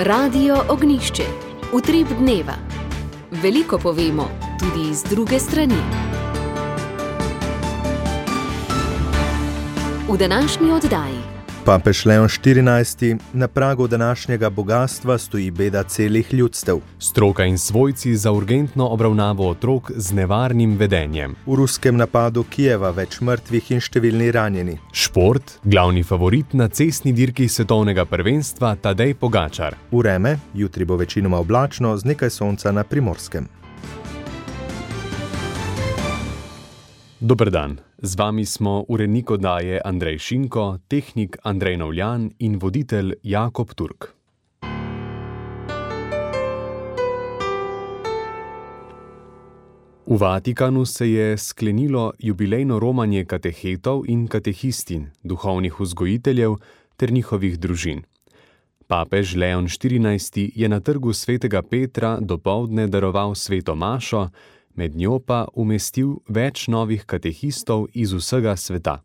Radio Ognjišče. Utrip dneva. Veliko povemo, tudi iz druge strani. V današnji oddaji. Papež Leon XIV. Na pragu današnjega bogastva stoji beda celih ljudstev. Stroka in svojci za urgentno obravnavo otrok z nevarnim vedenjem. V ruskem napadu Kijeva več mrtvih in številni ranjeni. Šport, glavni favorit na cestni dirki svetovnega prvenstva Tadej Pogačar. Vreme, jutri bo večinoma oblačno z nekaj sonca na Primorskem. Dober dan, z vami smo urednik oddaje Andrej Šinko, tehnik Andrej Novljan in voditelj Jakob Turk. V Vatikanu se je sklenilo jubilejno romanje katehetov in katehistin, duhovnih vzgojiteljev ter njihovih družin. Papež Leon XIV. Je na trgu svetega Petra dopoldne daroval sveto mašo, med njo pa umestil več novih katehistov iz vsega sveta.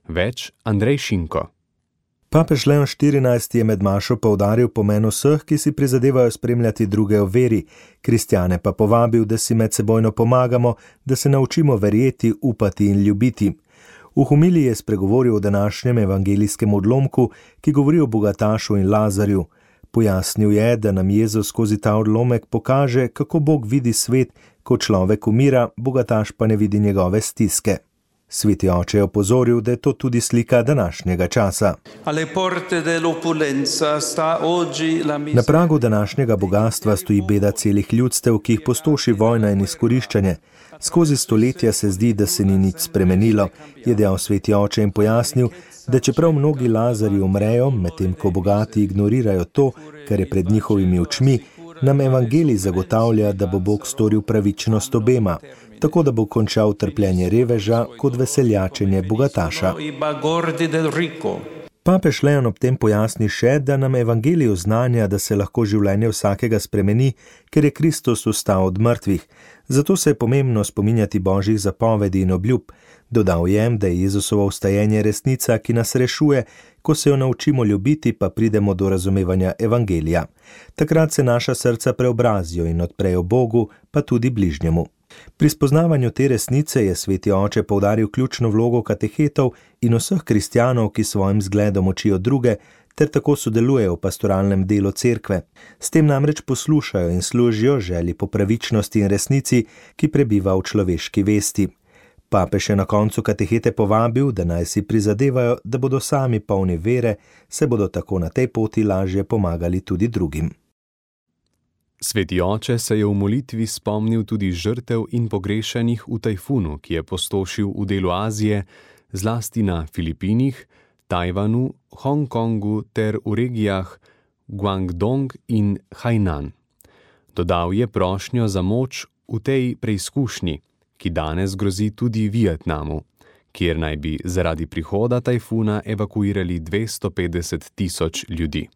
Več Andrej Šinko. Papež Leon XIV. Je med mašo poudaril pomen vseh, ki si prizadevajo spremljati druge v veri, kristjane pa povabil, da si medsebojno pomagamo, da se naučimo verjeti, upati in ljubiti. V homiliji je spregovoril o današnjem evangelijskem odlomku, ki govori o bogatašu in Lazarju. Pojasnil je, da nam Jezus skozi ta odlomek pokaže, kako Bog vidi svet, ko človek umira, bogataš pa ne vidi njegove stiske. Sveti oče je opozoril, da je to tudi slika današnjega časa. Na pragu današnjega bogastva stoji beda celih ljudstev, ki jih pustoši vojna in izkoriščanje. Skozi stoletja se zdi, da se ni nič spremenilo, je dejal sveti oče in pojasnil, da čeprav mnogi Lazarji umrejo, medtem ko bogati ignorirajo to, kar je pred njihovimi očmi, nam evangelij zagotavlja, da bo Bog storil pravičnost obema, tako da bo končal trpljenje reveža kot veseljačenje bogataša. Papež Leon ob tem pojasni še, da nam evangelij oznanja, da se lahko življenje vsakega spremeni, ker je Kristus vstal od mrtvih. Zato se je pomembno spominjati božjih zapovedi in obljub. Dodal je, da je Jezusovo vstajenje resnica, ki nas rešuje, ko se jo naučimo ljubiti, pa pridemo do razumevanja evangelija. Takrat se naša srca preobrazijo in odprejo Bogu, pa tudi bližnjemu. Pri spoznavanju te resnice je sveti oče poudaril ključno vlogo katehetov in vseh kristjanov, ki svojim zgledom učijo druge, ter tako sodelujejo v pastoralnem delu cerkve. S tem namreč poslušajo in služijo želji po pravičnosti in resnici, ki prebiva v človeški vesti. Papež je na koncu katehete povabil, da naj si prizadevajo, da bodo sami polni vere, se bodo tako na tej poti lažje pomagali tudi drugim. Sveti oče se je v molitvi spomnil tudi žrtev in pogrešanih v tajfunu, ki je pustošil v delu Azije, zlasti na Filipinih, Tajvanu, Hongkongu ter v regijah Guangdong in Hainan. Dodal je prošnjo za moč v tej preizkušnji, ki danes grozi tudi Vietnamu, kjer naj bi zaradi prihoda tajfuna evakuirali 250.000 ljudi.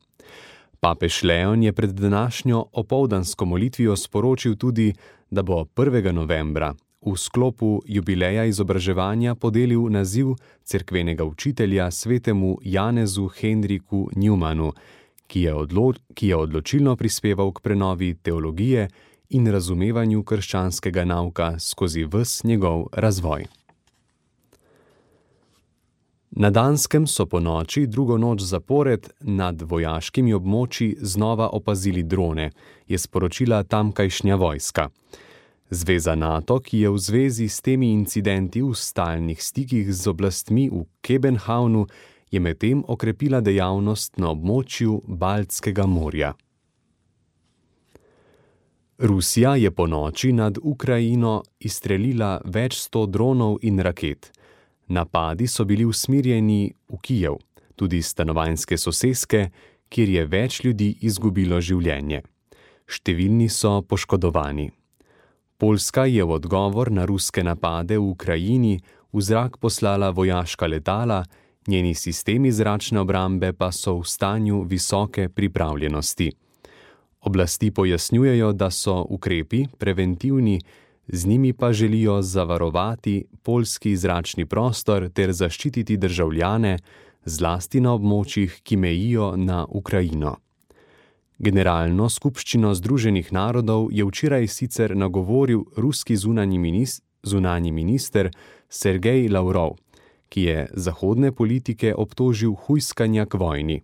Papež Leon je pred današnjo opoldansko molitvijo sporočil tudi, da bo 1. novembra v sklopu jubileja izobraževanja podelil naziv cerkvenega učitelja svetemu Janezu Henriku Newmanu, ki je odločilno prispeval k prenovi teologije in razumevanju krščanskega nauka skozi ves njegov razvoj. Na Danskem so po noči drugo noč zapored nad vojaškimi območji znova opazili drone, je sporočila tamkajšnja vojska. Zveza NATO, ki je v zvezi s temi incidenti v stalnih stikih z oblastmi v Kebenhavnu, je medtem okrepila dejavnost na območju Baltskega morja. Rusija je po noči nad Ukrajino izstrelila več 100 dronov in raket. Napadi so bili usmerjeni v Kijev, tudi stanovanjske soseske, kjer je več ljudi izgubilo življenje. Številni so poškodovani. Poljska je v odgovor na ruske napade v Ukrajini v zrak poslala vojaška letala, njeni sistemi zračne obrambe pa so v stanju visoke pripravljenosti. Oblasti pojasnjujejo, da so ukrepi preventivni, z njimi pa želijo zavarovati poljski zračni prostor ter zaščititi državljane, zlasti na območjih, ki mejijo na Ukrajino. Generalno skupščino Združenih narodov je včeraj sicer nagovoril ruski zunanji minister Sergej Lavrov, ki je zahodne politike obtožil hujskanja k vojni.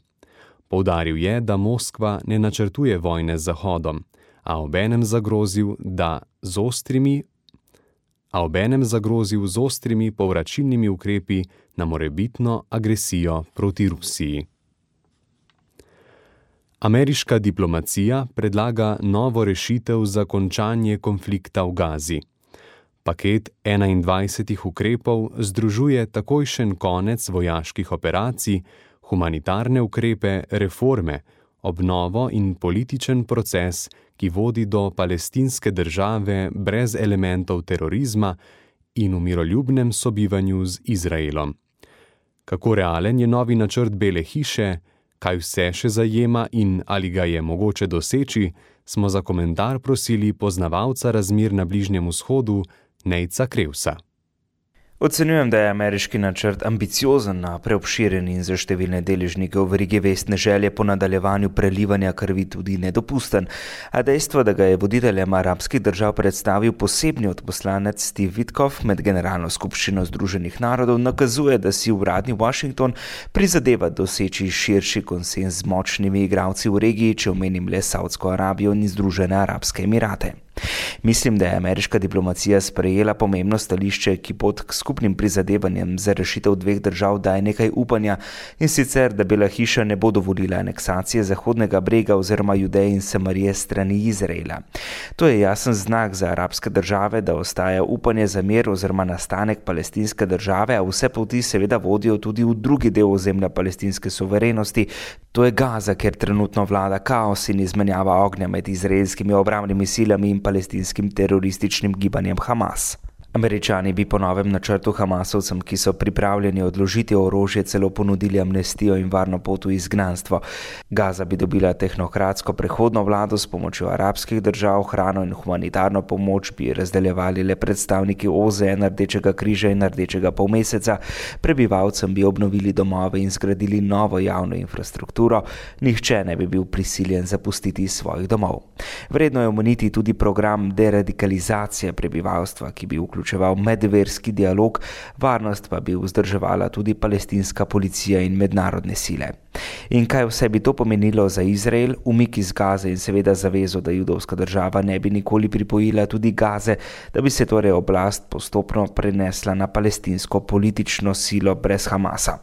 Poudaril je, da Moskva ne načrtuje vojne z Zahodom, a obenem zagrozil z ostrimi povračilnimi ukrepi na morebitno agresijo proti Rusiji. Ameriška diplomacija predlaga novo rešitev za končanje konflikta v Gazi. Paket 21 ukrepov združuje takojšen konec vojaških operacij, humanitarne ukrepe, reforme, obnovo in političen proces, ki vodi do palestinske države brez elementov terorizma in v miroljubnem sobivanju z Izraelom. Kako realen je novi načrt Bele hiše, kaj vse še zajema in ali ga je mogoče doseči, smo za komentar prosili poznavalca razmer na Bližnjem vzhodu Nejca Krevsa. Ocenjujem, da je ameriški načrt ambiciozen, preobširen in za številne deležnike v verigi vestne želje po nadaljevanju prelivanja krvi tudi nedopusten. A dejstvo, da ga je voditeljem arabskih držav predstavil posebni odposlanec Steve Witkoff med Generalno skupščino Združenih narodov, nakazuje, da si uradni Washington prizadeva doseči širši konsenz z močnimi igralci v regiji, če omenim le Saudsko Arabijo in Združene arabske emirate. Mislim, da je ameriška diplomacija sprejela pomembno stališče, ki pot k skupnim prizadevanjem za rešitev dveh držav daje nekaj upanja, in sicer, da Bela hiša ne bo dovolila aneksacije Zahodnega brega oziroma Judeje in Samarije strani Izraela. To je jasen znak za arabske države, da ostaja upanje za mir oziroma nastanek palestinske države, a vse poti seveda vodijo tudi v drugi del ozemlja palestinske suverenosti, to je Gaza, kjer trenutno vlada kaos in izmenjava ognja med izraelskimi obrambnimi silami in palestinskim terorističnim gibanjem Hamas. Američani bi po novem načrtu Hamasovcem, ki so pripravljeni odložiti orožje, celo ponudili amnestijo in varno pot v izgnanstvo. Gaza bi dobila tehnokratsko prehodno vlado s pomočjo arabskih držav, hrano in humanitarno pomoč bi razdeljevali le predstavniki OZN, Rdečega križa in Rdečega polmeseca, prebivalcem bi obnovili domove in zgradili novo javno infrastrukturo, nihče ne bi bil prisiljen zapustiti svojih domov. Vredno je omeniti tudi program deradikalizacije prebivalstva, ki bi vključeval medverski dialog, varnost pa bi vzdrževala tudi palestinska policija in mednarodne sile. In kaj vse bi to pomenilo za Izrael, umik iz Gaze in seveda zavezo, da judovska država ne bi nikoli pripojila tudi Gaze, da bi se torej oblast postopno prenesla na palestinsko politično silo brez Hamasa.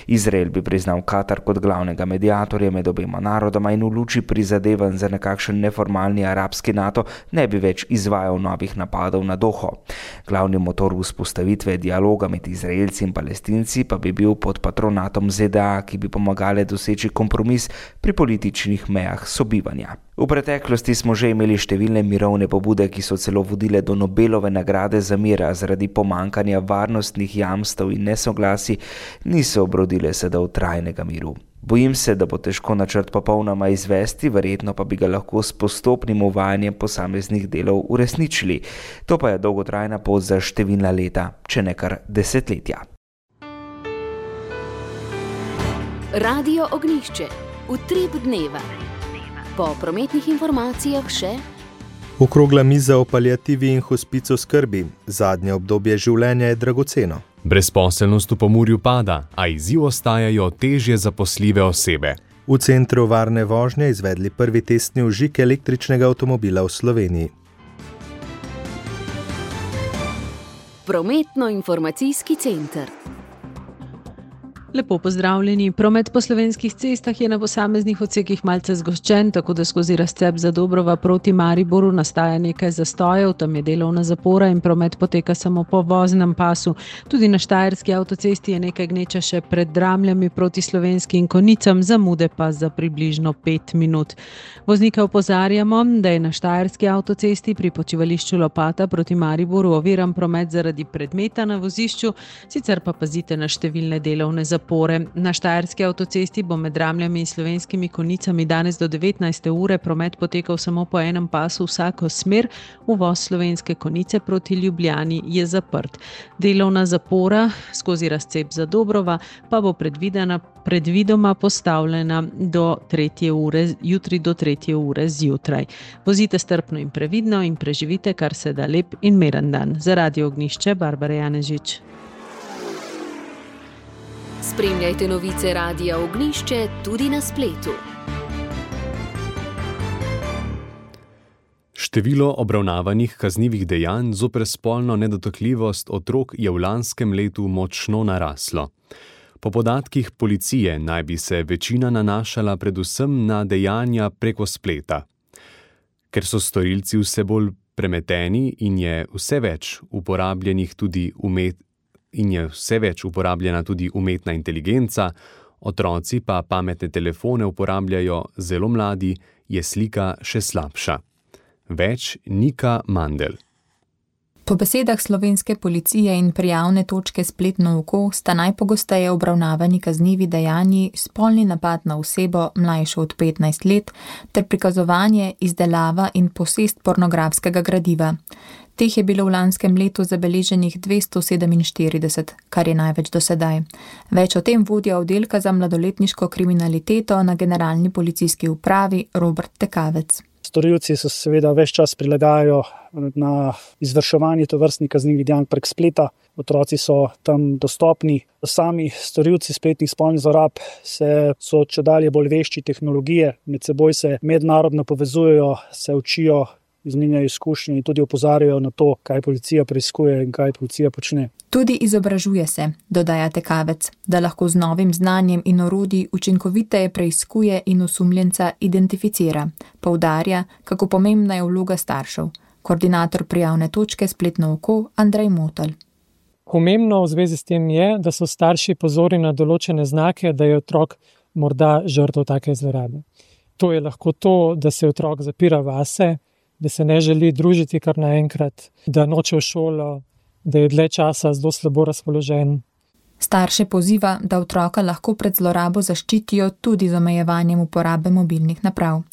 Izrael bi priznal Katar kot glavnega mediatorja med obema narodoma in v luči prizadevanj za nekakšen neformalni arabski NATO ne bi več izvajal novih napadov na Doho. Glavni motor vzpostavitve dialoga med Izraelci in Palestinci pa bi bil pod patronatom ZDA, ki bi pomagale doseči kompromis pri političnih mejah sobivanja. V preteklosti smo že imeli številne mirovne pobude, ki so celo vodile do Nobelove nagrade za mir, a zaradi pomankanja varnostnih jamstev in nesoglasij niso obrodile sadov trajnega miru. Bojim se, da bo težko načrt popolnoma izvesti, verjetno pa bi ga lahko s postopnim uvajanjem posameznih delov uresničili. To pa je dolgotrajna pot za številna leta, če ne kar desetletja. Radio Ognjišče. Utrip dneva. Po prometnih informacijah še Okrogla miza o paliativi in hospicu skrbi. Zadnje obdobje življenja je dragoceno. Brezposelnost v Pomurju pada, a izziv ostajajo težje zaposljive osebe. V centru varne vožnje izvedli prvi testni vžig električnega avtomobila v Sloveniji. Prometno-informacijski center. Lepo pozdravljeni. Promet po slovenskih cestah je na posameznih odsekih malce zgoščen, tako da skozi razcep Zadobrova proti Mariboru nastaja nekaj zastojev, tam je delovna zapora in promet poteka samo po voznem pasu. Tudi na Štajerski avtocesti je nekaj gneča še pred Dramljami proti Slovenskim Konicam, zamude pa za približno 5 minut. Voznike opozarjamo, da je na Štajerski avtocesti pri počivališču Lopata proti Mariboru oviran promet zaradi predmeta na vozišču, sicer pa pazite na številne delovne zapore zapore. Na Štajerski avtocesti bo med Ramljami in Slovenskimi Konjicami danes do 19. ure promet potekal samo po enem pasu vsako smer, uvoz Slovenske Konjice proti Ljubljani je zaprt. Delovna zapora skozi razcep Zadobrova pa bo predvidoma postavljena do 3. ure, jutri do 3. ure zjutraj. Vozite strpno in previdno in preživite kar se da lep in miren dan. Za Radio Ognjišče, Barbara Janežič. Spremljajte novice Radia Ognjišče tudi na spletu. Število obravnavanih kaznivih dejanj zoper spolno nedotakljivost otrok je v lanskem letu močno naraslo. Po podatkih policije naj bi se večina nanašala predvsem na dejanja preko spleta. Ker so storilci vse bolj premeteni in je vse več uporabljena tudi umetna inteligenca, otroci pa pametne telefone uporabljajo zelo mladi, je slika še slabša. Več Nika Mandl. Po besedah slovenske policije in prijavne točke Spletno oko sta najpogosteje obravnavani kaznivi dejanji spolni napad na osebo mlajšo od 15 let ter prikazovanje, izdelava in posest pornografskega gradiva. Teh je bilo v lanskem letu zabeleženih 247, kar je največ do sedaj. Več o tem vodja oddelka za mladoletniško kriminaliteto na Generalni policijski upravi Robert Tekavec. Storilci se seveda ves čas prilagajajo na izvrševanje tovrstnih kaznivih dejanj prek spleta. Otroci so tam dostopni. Sami storilci spletnih spolnih zlorab so čedalje bolj vešči tehnologije, med seboj se mednarodno povezujejo, se učijo, izmenjajo izkušnje in tudi opozarjajo na to, kaj policija preiskuje in kaj policija počne. Tudi izobražuje se, dodaja Tekavec, da lahko z novim znanjem in orodji učinkoviteje preiskuje in osumljenca identificira. Poudarja, kako pomembna je vloga staršev. Koordinator prijavne točke Spletno oko Andrej Motelj. Pomembno v zvezi s tem je, da so starši pozorni na določene znake, da je otrok morda žrtev take zlorabe. To je lahko to, da se otrok zapira vase, da se ne želi družiti kar naenkrat, da noče v šolo, da je dlje časa zelo slabo razpoložen. Starše poziva, da otroka lahko pred zlorabo zaščitijo tudi z omejevanjem uporabe mobilnih naprav.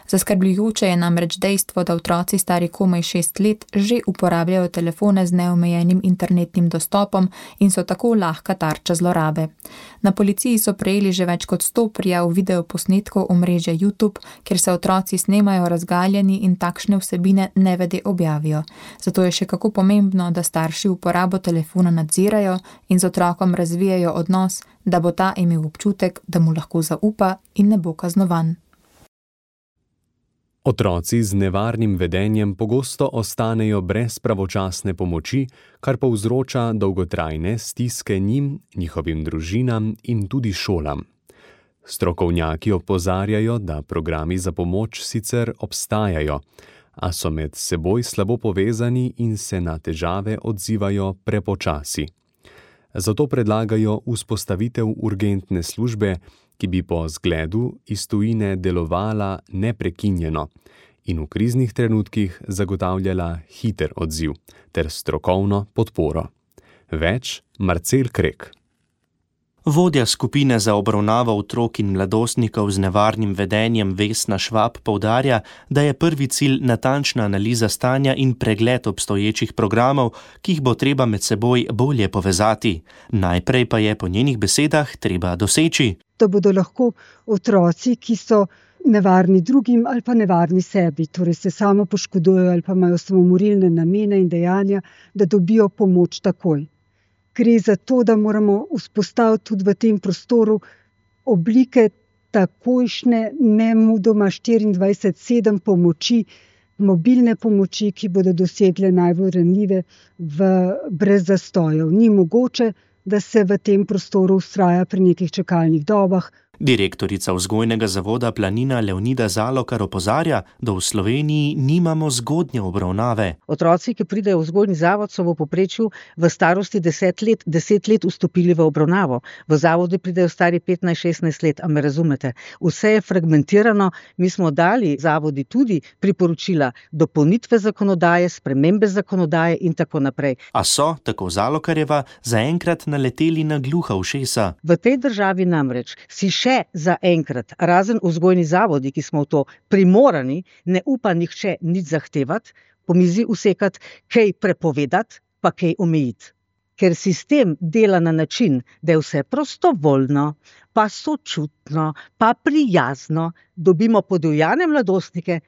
Zaskrbljujoče je namreč dejstvo, da otroci stari komaj 6 let že uporabljajo telefone z neomejenim internetnim dostopom in so tako lahka tarča zlorabe. Na policiji so prejeli že več kot 100 prijav videoposnetkov omrežja YouTube, kjer se otroci snemajo razgaljeni in takšne vsebine nevede objavijo. Zato je še kako pomembno, da starši uporabo telefona nadzirajo in z otrokom razvijajo odnos, da bo ta imel občutek, da mu lahko zaupa in ne bo kaznovan. Otroci z nevarnim vedenjem pogosto ostanejo brez pravočasne pomoči, kar povzroča dolgotrajne stiske njim, njihovim družinam in tudi šolam. Strokovnjaki opozarjajo, da programi za pomoč sicer obstajajo, a so med seboj slabo povezani in se na težave odzivajo prepočasi. Zato predlagajo vzpostavitev urgentne službe, ki bi po zgledu iz tujine delovala neprekinjeno in v kriznih trenutkih zagotavljala hiter odziv ter strokovno podporo. Več Marcel Krek. Vodja skupine za obravnavo otrok in mladostnikov z nevarnim vedenjem Vesna Švab poudarja, da je prvi cilj natančna analiza stanja in pregled obstoječih programov, ki jih bo treba med seboj bolje povezati. Najprej pa je po njenih besedah treba doseči, da bodo lahko otroci, ki so nevarni drugim ali pa nevarni sebi, torej se samo poškodujejo ali pa imajo samomorilne namene in dejanja, da dobijo pomoč takoj. Gre za to, da moramo vzpostaviti tudi v tem prostoru oblike takojšnje, nemudoma 24/7 pomoči, mobilne pomoči, ki bodo dosegle najbolj ranljive brez zastojev. Ni mogoče, da se v tem prostoru vztraja pri nekih čakalnih dobah, Direktorica vzgojnega zavoda Planina Leonida Zalokar opozarja, da v Sloveniji nimamo zgodnje obravnave. Otroci, ki pridejo v vzgojni zavod, so v povprečju v starosti 10 let vstopili v obravnavo. V zavode pridejo stari 15-16 let, a me razumete? Vse je fragmentirano, mi smo dali zavodi tudi priporočila dopolnitve zakonodaje, spremembe zakonodaje in tako naprej. A so, tako Zalokarjeva, zaenkrat naleteli na gluha ušesa. V tej državi namreč si še zaenkrat, razen vzgojni zavodi, ki smo v to primorani, ne upa nihče nič zahtevati, po mizi usekati, kaj prepovedati, pa kaj omejiti. Ker sistem dela na način, da je vse prostovoljno, pa sočutno, pa prijazno, dobimo podivjane mladostnike,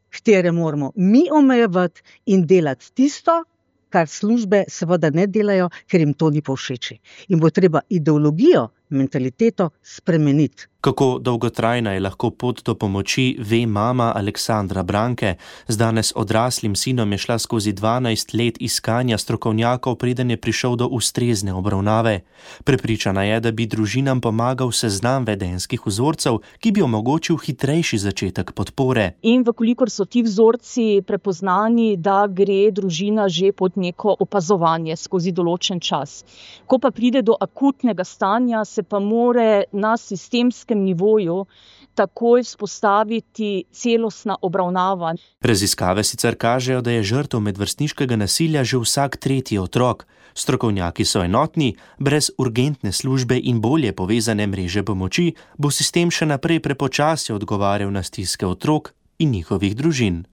katere moramo mi omejevati in delati tisto, kar službe seveda ne delajo, ker jim to ni povšeči. In bo treba ideologijo, mentaliteto spremeniti. Kako dolgotrajna je lahko pot do pomoči, ve mama Aleksandra Branke. Z danes odraslim sinom je šla skozi 12 let iskanja strokovnjakov, preden je prišel do ustrezne obravnave. Prepričana je, da bi družinam pomagal seznam vedenjskih vzorcev, ki bi omogočil hitrejši začetek podpore. In vkolikor so ti vzorci prepoznani, da gre družina že pod neko opazovanje skozi določen čas. Ko pa pride do akutnega stanja, se pa more na sistemskem nivoju takoj vzpostaviti celostna obravnava. Raziskave sicer kažejo, da je žrtev medvrstniškega nasilja že vsak tretji otrok. Strokovnjaki so enotni, brez urgentne službe in bolje povezane mreže pomoči bo sistem še naprej prepočasi odgovarjal na stiske otrok in njihovih družin.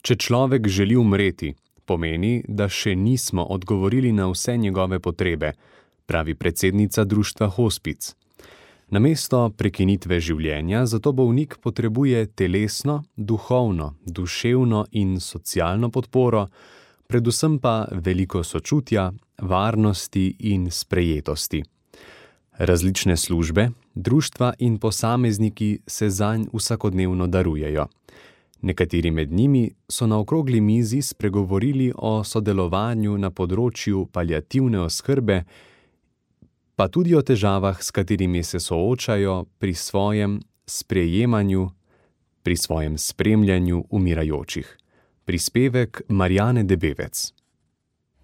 Če človek želi umreti, pomeni, da še nismo odgovorili na vse njegove potrebe, pravi predsednica društva Hospic. Namesto prekinitve življenja zato bolnik potrebuje telesno, duhovno, duševno in socialno podporo, predvsem pa veliko sočutja, varnosti in sprejetosti. Različne službe, društva in posamezniki se zanj vsakodnevno darujejo. Nekateri med njimi so na okrogli mizi spregovorili o sodelovanju na področju paliativne oskrbe, pa tudi o težavah, s katerimi se soočajo pri svojem sprejemanju, pri svojem spremljanju umirajočih. Prispevek Marjane Debevec.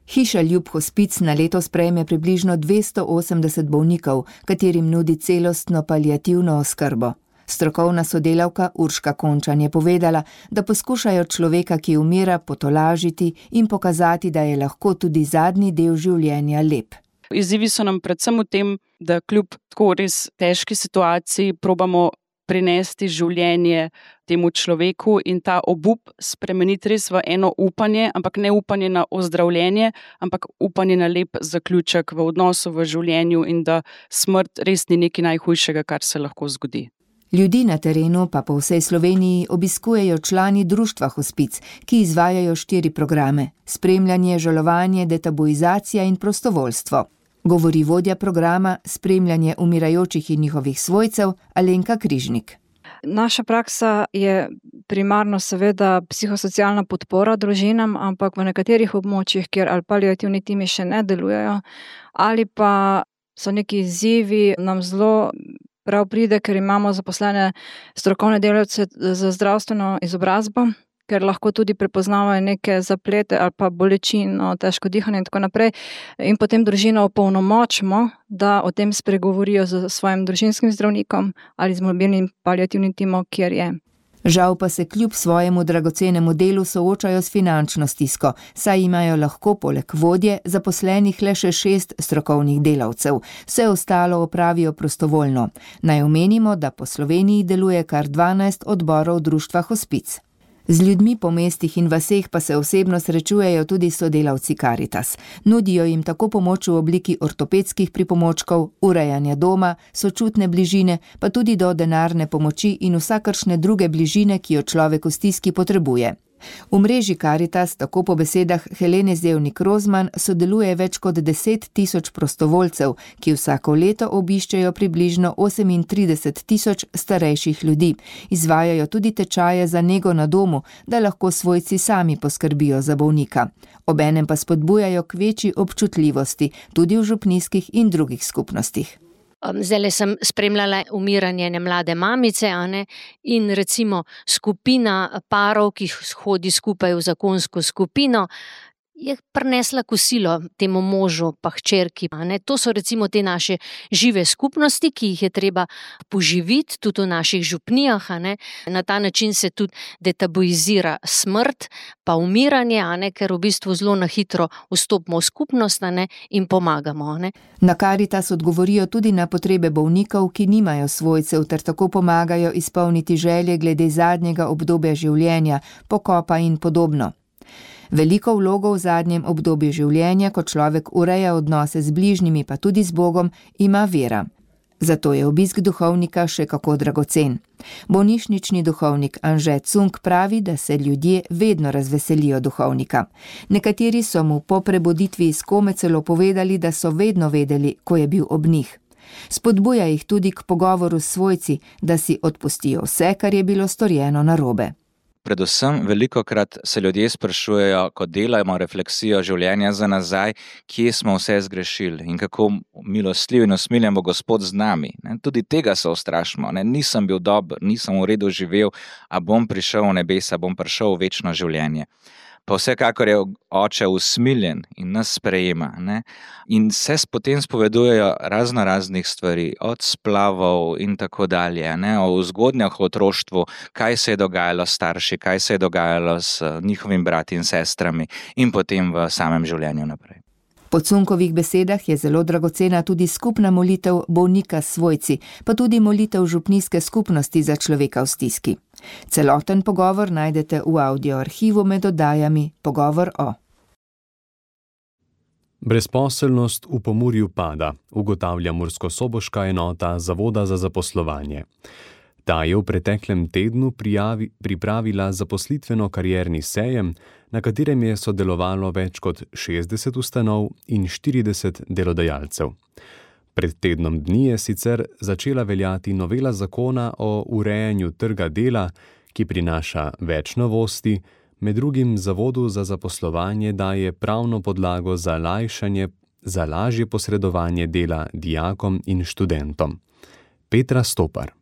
Hiša Ljub Hospic na leto sprejme približno 280 bolnikov, katerim nudi celostno paliativno oskrbo. Strokovna sodelavka Urška Končan je povedala, da poskušajo človeka, ki umira, potolažiti in pokazati, da je lahko tudi zadnji del življenja lep. Izzivi so nam predvsem v tem, da kljub tako res težki situaciji probamo prinesti življenje temu človeku in ta obup spremeniti res v eno upanje, ampak ne upanje na ozdravljenje, ampak upanje na lep zaključek v odnosu, v življenju in da smrt res ni nekaj najhujšega, kar se lahko zgodi. Ljudi na terenu pa po vsej Sloveniji obiskujejo člani društva Hospic, ki izvajajo 4 programe: spremljanje, žalovanje, detabuizacija in prostovoljstvo. Govori vodja programa Spremljanje umirajočih in njihovih svojcev Alenka Križnik. Naša praksa je primarno seveda psihosocialna podpora družinam, ampak v nekaterih območjih, kjer ali paliativni timi še ne delujejo, ali pa so neki izzivi, nam zelo prav pride, ker imamo zaposlene strokovne delavce za zdravstveno izobrazbo, ker lahko tudi prepoznavajo neke zaplete ali pa bolečino, težko dihanje in tako naprej. In potem družino opolnomočimo, da o tem spregovorijo z svojim družinskim zdravnikom ali z mobilnim paliativnim timom, kjer je. Žal pa se kljub svojemu dragocenemu delu soočajo s finančno stisko, saj imajo lahko poleg vodje zaposlenih le še 6 strokovnih delavcev. Vse ostalo opravijo prostovoljno. Naj omenimo, da po Sloveniji deluje kar 12 odborov društva Hospic. Z ljudmi po mestih in vaseh pa se osebno srečujejo tudi sodelavci Karitas. Nudijo jim tako pomoč v obliki ortopedskih pripomočkov, urejanja doma, sočutne bližine, pa tudi do denarne pomoči in vsakršne druge bližine, ki jo človek v stiski potrebuje. V mreži Karitas, tako po besedah Helene Zevnik-Rozman, sodeluje več kot 10 000 prostovoljcev, ki vsako leto obiščejo približno 38 000 starejših ljudi. Izvajajo tudi tečaje za nego na domu, da lahko svojci sami poskrbijo za bolnika. Obenem pa spodbujajo k večji občutljivosti, tudi v župnijskih in drugih skupnostih. Zdajle sem spremljala umiranje ene mlade mamice, in recimo skupina parov, ki hodi skupaj v zakonsko skupino, je prinesla kosilo temu možu pa hčerki. To so recimo te naše žive skupnosti, ki jih je treba poživiti tudi v naših župnijah. Na ta način se tudi detabuizira smrt pa umiranje, ker v bistvu zelo na hitro vstopimo v skupnost in pomagamo. Na Karitas odgovorijo tudi na potrebe bolnikov, ki nimajo svojcev, ter tako pomagajo izpolniti želje glede zadnjega obdobja življenja, pokopa in podobno. Veliko vlogo v zadnjem obdobju življenja, ko človek ureja odnose z bližnjimi, pa tudi z Bogom, ima vera. Zato je obisk duhovnika še kako dragocen. Bolnišnični duhovnik Anže Cunk pravi, da se ljudje vedno razveselijo duhovnika. Nekateri so mu po prebuditvi iz kome celo povedali, da so vedno vedeli, ko je bil ob njih. Spodbuja jih tudi k pogovoru s svojci, da si odpustijo vse, kar je bilo storjeno narobe. Predvsem velikokrat se ljudje sprašujejo, ko delamo refleksijo življenja za nazaj, kje smo vse zgrešili in kako milostljiv in usmiljen bo Gospod z nami. Tudi tega se ustrašimo. Nisem bil dober, nisem v redu živel, a bom prišel v nebesa, bom prišel v večno življenje. Pa vsekakor je oče usmiljen in nas sprejema. In se potem spovedujejo raznih stvari, od splavov in tako dalje, o zgodnjah v otroštvu, kaj se je dogajalo s starši, kaj se je dogajalo s njihovimi brati in sestrami in potem v samem življenju naprej. Po Cunkovih besedah je zelo dragocena tudi skupna molitev bolnika s svojci, pa tudi molitev župnijske skupnosti za človeka v stiski. Celoten pogovor najdete v audioarhivu med oddajami Pogovor o. Brezposelnost v Pomurju pada, ugotavlja murskosoboška enota Zavoda za zaposlovanje. Ta je v preteklem tednu pripravila zaposlitveno-karierni sejem, na katerem je sodelovalo več kot 60 ustanov in 40 delodajalcev. Pred tednom dni je sicer začela veljati novela zakona o urejanju trga dela, ki prinaša več novosti, med drugim Zavodu za zaposlovanje daje pravno podlago za lažje posredovanje dela dijakom in študentom. Petra Stopar.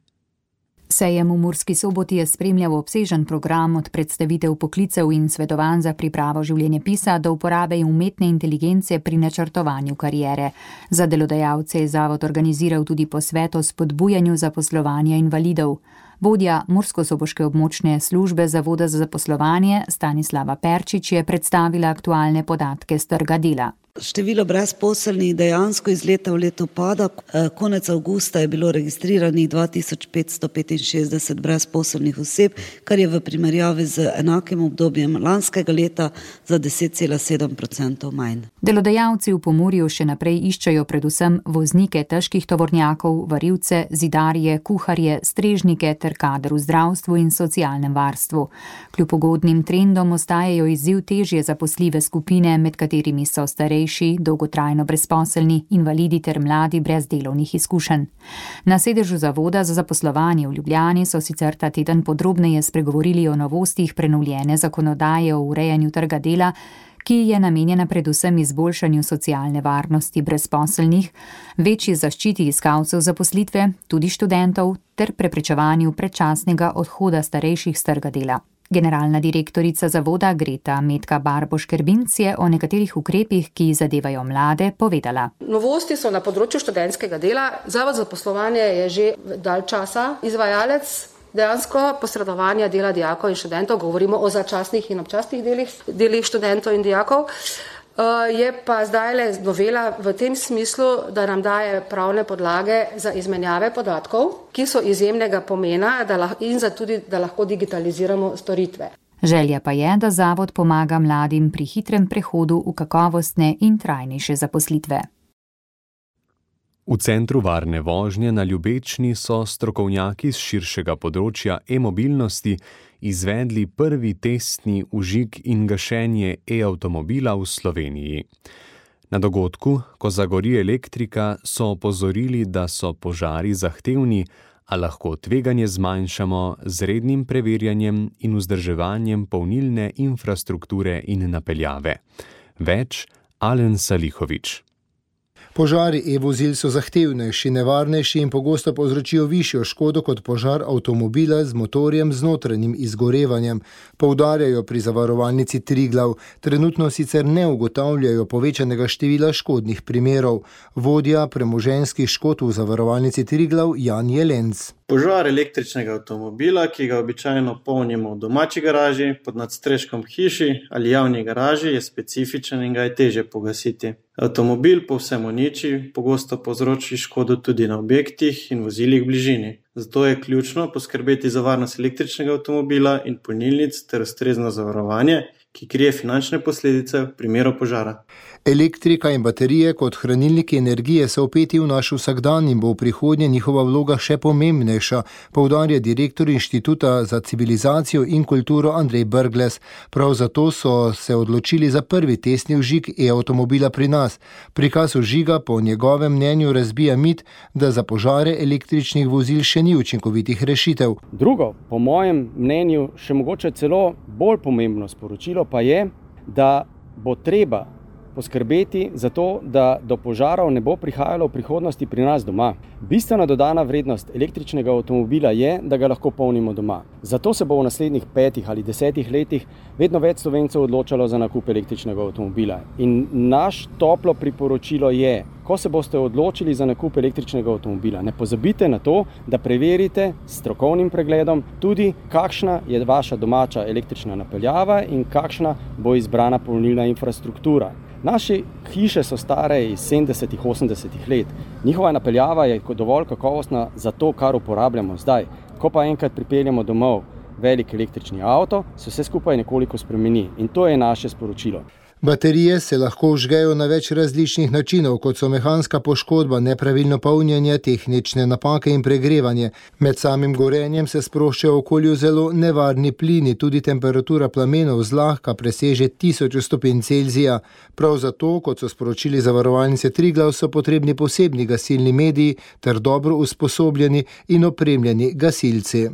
Sejem v Murski Soboti je spremljal obsežen program od predstavitev poklicev in svetovanj za pripravo življenjepisa do uporabe umetne inteligence pri načrtovanju kariere. Za delodajalce je zavod organiziral tudi posvet o spodbujanju zaposlovanja invalidov. Vodja Murskosoboške območne službe Zavoda za zaposlovanje Stanislava Perčič je predstavila aktualne podatke s trga dela. Število brezposelnih dejansko iz leta v leto pada. Konec avgusta je bilo registriranih 2565 brezposelnih oseb, kar je v primerjavi z enakim obdobjem lanskega leta za 10,7% manj. Delodajalci v Pomurju še naprej iščejo predvsem voznike težkih tovornjakov, varilce, zidarje, kuharje, strežnike ter kader v zdravstvu in socialnem varstvu. Kljub ugodnim trendom ostajajo izziv težje zaposljive skupine, med katerimi so starejši, dolgotrajno brezposelni, invalidi ter mladi brez delovnih izkušenj. Na sedežu Zavoda za zaposlovanje v Ljubljani so sicer ta teden podrobneje spregovorili o novostih prenovljene zakonodaje o urejanju trga dela, ki je namenjena predvsem izboljšanju socialne varnosti brezposelnih, večji zaščiti iskalcev zaposlitve, tudi študentov, ter preprečevanju predčasnega odhoda starejših s trga dela. Generalna direktorica zavoda Greta Metka Barboš-Kerbinc je o nekaterih ukrepih, ki zadevajo mlade, povedala. Novosti so na področju študentskega dela. Zavod za zaposlovanje je že dalj časa izvajalec dejansko posredovanja dela dijakov in študentov. Govorimo o začasnih in občasnih delih študentov in dijakov. Je pa zdaj novela v tem smislu, da nam daje pravne podlage za izmenjave podatkov, ki so izjemnega pomena in za tudi, da lahko digitaliziramo storitve. Želja pa je, da zavod pomaga mladim pri hitrem prehodu v kakovostne in trajnejše zaposlitve. V Centru varne vožnje na Ljubečni so strokovnjaki z širšega področja e-mobilnosti izvedli prvi testni vžig in gašenje e-avtomobila v Sloveniji. Na dogodku, ko zagori elektrika, so opozorili, da so požari zahtevni, a lahko tveganje zmanjšamo z rednim preverjanjem in vzdrževanjem polnilne infrastrukture in napeljave. Več Alen Salihovič. Požari e-vozil so zahtevnejši, nevarnejši in pogosto povzročijo višjo škodo kot požar avtomobila z motorjem z notranjim izgorevanjem, poudarjajo pri Zavarovalnici Triglav. Trenutno sicer ne ugotavljajo povečanega števila škodnih primerov. Vodja premoženjskih škod v Zavarovalnici Triglav Jan Jelenc. Požar električnega avtomobila, ki ga običajno polnimo v domači garaži, pod nadstreškom hiši ali javni garaži, je specifičen in ga je težje pogasiti. Avtomobil povsem uniči, pogosto povzroči škodo tudi na objektih in vozilih v bližini. Zato je ključno poskrbeti za varnost električnega avtomobila in polnilnic ter ustrezno zavarovanje, ki krije finančne posledice v primeru požara. Elektrika in baterije kot hranilniki energije so vpeti v naš vsakdan in bo v prihodnje njihova vloga še pomembnejša, poudarja direktor Inštituta za civilizacijo in kulturo Andrej Brglez. Prav zato so se odločili za prvi testni vžig e-avtomobila pri nas. Prikaz vžiga po njegovem mnenju razbija mit, da za požare električnih vozil še ni učinkovitih rešitev. Drugo, po mojem mnenju, še mogoče celo bolj pomembno sporočilo pa je, da bo treba poskrbeti za to, da do požarov ne bo prihajalo v prihodnosti pri nas doma. Bistvena dodana vrednost električnega avtomobila je, da ga lahko polnimo doma. Zato se bo v naslednjih 5 ali 10 letih vedno več Slovencev odločalo za nakup električnega avtomobila. In naš toplo priporočilo je, ko se boste odločili za nakup električnega avtomobila, ne pozabite na to, da preverite s strokovnim pregledom tudi, kakšna je vaša domača električna napeljava in kakšna bo izbrana polnilna infrastruktura. Naše hiše so stare iz 70-ih, 80-ih let. Njihova napeljava je dovolj kakovostna za to, kar uporabljamo zdaj. Ko pa enkrat pripeljemo domov velik električni avto, se vse skupaj nekoliko spremeni. In to je naše sporočilo. Baterije se lahko vžgejo na več različnih načinov, kot so mehanska poškodba, nepravilno polnjenje, tehnične napake in pregrevanje. Med samim gorenjem se sproščajo v okolju zelo nevarni plini, tudi temperatura plamenov zlahka preseže 1000 stopinj Celzija. Prav zato, kot so sporočili Zavarovalnice Triglav, so potrebni posebni gasilni mediji ter dobro usposobljeni in opremljeni gasilci.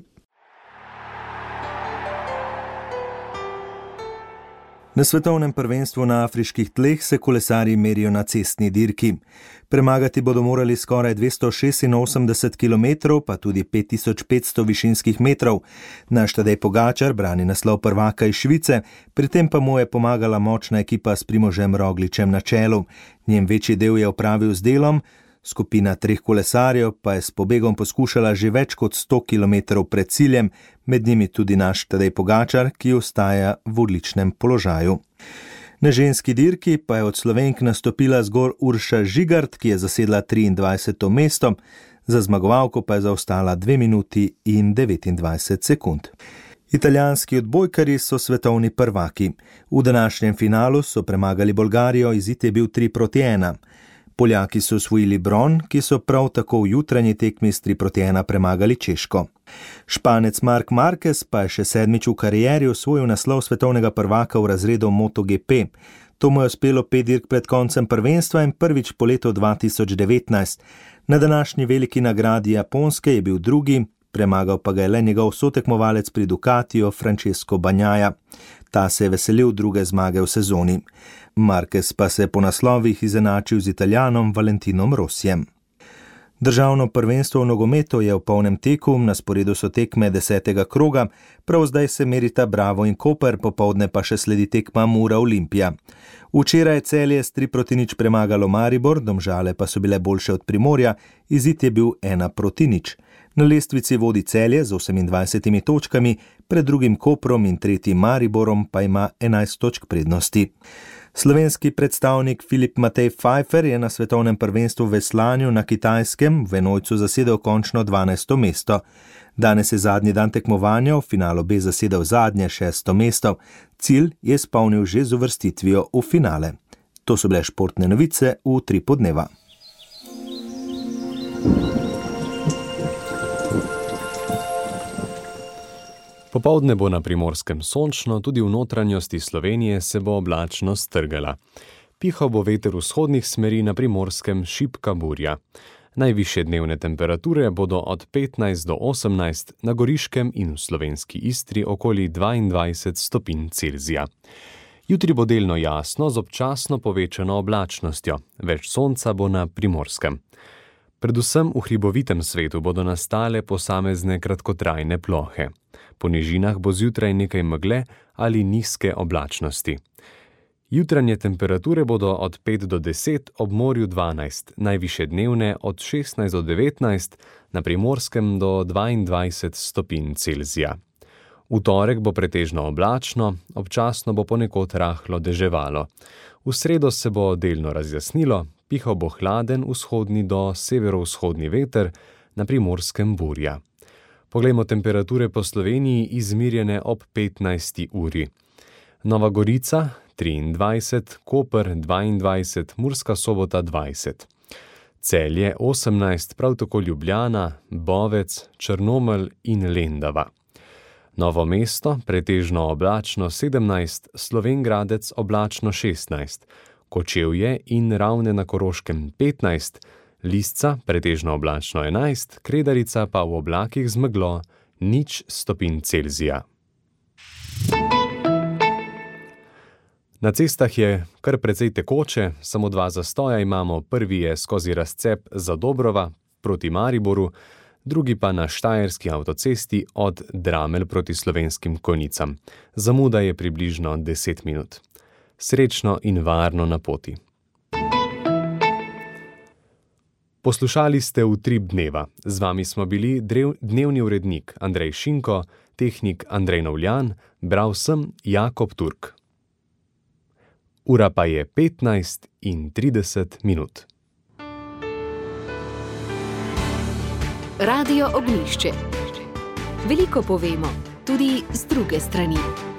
Na svetovnem prvenstvu na afriških tleh se kolesarji merijo na cestni dirki. Premagati bodo morali skoraj 286 km, pa tudi 5500 višinskih metrov. Naš Tadej Pogačar brani naslov prvaka iz Švice, pri tem pa mu je pomagala močna ekipa s Primožem Rogličem na čelu. Njen večji del je opravil z delom, skupina 3 kolesarjev pa je s pobegom poskušala že več kot 100 km pred ciljem, med njimi tudi naš Tadej Pogačar, ki ostaja v odličnem položaju. Na ženski dirki pa je od Slovenk nastopila zgolj Urša Žigart, ki je zasedla 23. mesto, za zmagovalko pa je zaostala 2 minuti in 29 sekund. Italijanski odbojkarji so svetovni prvaki. V današnjem finalu so premagali Bolgarijo, izid je bil 3-1. Poljaki so osvojili bron, ki so prav tako v jutranji tekmi s 3-1 premagali Češko. Španec Marc Marquez pa je še 7. v karieri osvojil naslov svetovnega prvaka v razredu MotoGP. To mu je uspelo 5 dirk pred koncem prvenstva in prvič po letu 2019. Na današnji veliki nagradi Japonske je bil drugi, premagal pa ga je le njegov sotekmovalec pri Ducatiju Francesco Bagnaia. Ta se je veselil druge zmage v sezoni. Marquez pa se je po naslovih izenačil z Italijanom Valentinom Rossijem. Državno prvenstvo v nogometu je v polnem teku, na sporedu so tekme 10. kroga, prav zdaj se merita Bravo in Koper, popoldne pa še sledi tekma Mura Olimpija. Včeraj je Celje s 3-0 premagalo Maribor, Domžale pa so bile boljše od Primorja, izid je bil 1-0. Na lestvici vodi Celje z 28 točkami, pred drugim Koprom in tretjim Mariborom pa ima 11 točk prednosti. Slovenski predstavnik Filip Matej Pfeiffer je na svetovnem prvenstvu v veslanju na Kitajskem v enojcu zasedel končno 12. mesto. Danes je zadnji dan tekmovanja, v finalu B zasedel zadnje 6. mesto. Cilj je izpolnil že z uvrstitvijo v finale. To so bile športne novice v 3 podneva. Popoldne bo na Primorskem sončno, tudi v notranjosti Slovenije se bo oblačnost strgala. Pihal bo veter vzhodnih smeri, na Primorskem šibka burja. Najvišje dnevne temperature bodo od 15 do 18, na Goriškem in v slovenski Istri okoli 22 stopinj Celzija. Jutri bo delno jasno z občasno povečano oblačnostjo, več sonca bo na Primorskem. Predvsem v hribovitem svetu bodo nastale posamezne kratkotrajne plohe. Po nižinah bo zjutraj nekaj megle ali nizke oblačnosti. Jutranje temperature bodo od 5 do 10, ob morju 12, najvišje dnevne od 16 do 19, na Primorskem do 22 stopinj Celzija. V torek bo pretežno oblačno, občasno bo ponekod rahlo deževalo. V sredo se bo delno razjasnilo, pihal bo hladen vzhodni do severovzhodni veter, na Primorskem burja. Poglejmo temperature po Sloveniji izmirjene ob 15. uri. Nova Gorica 23, Koper 22, Murska Sobota 20. Celje 18, prav tako Ljubljana, Bovec, Črnomelj in Lendava. Novo mesto pretežno oblačno 17, Slovenj Gradec oblačno 16, Kočevje in Ravne na Koroškem 15, Lisca pretežno oblačno 11, Kredarica pa v oblakih z meglo 0 stopinj Celzija. Na cestah je kar precej tekoče, samo 2 zastoja imamo, prvi je skozi razcep Zadobrova proti Mariboru, drugi pa na štajerski avtocesti od Dramelj proti Slovenskim Konjicam. Zamuda je približno 10 minut. Srečno in varno na poti. Poslušali ste Utrip dneva. Z vami smo bili dnevni urednik Andrej Šinko, tehnik Andrej Novljan, bral sem Jakob Turk. Ura pa je 15:30 minut. Radio Ognjišče. Veliko povemo, tudi z druge strani.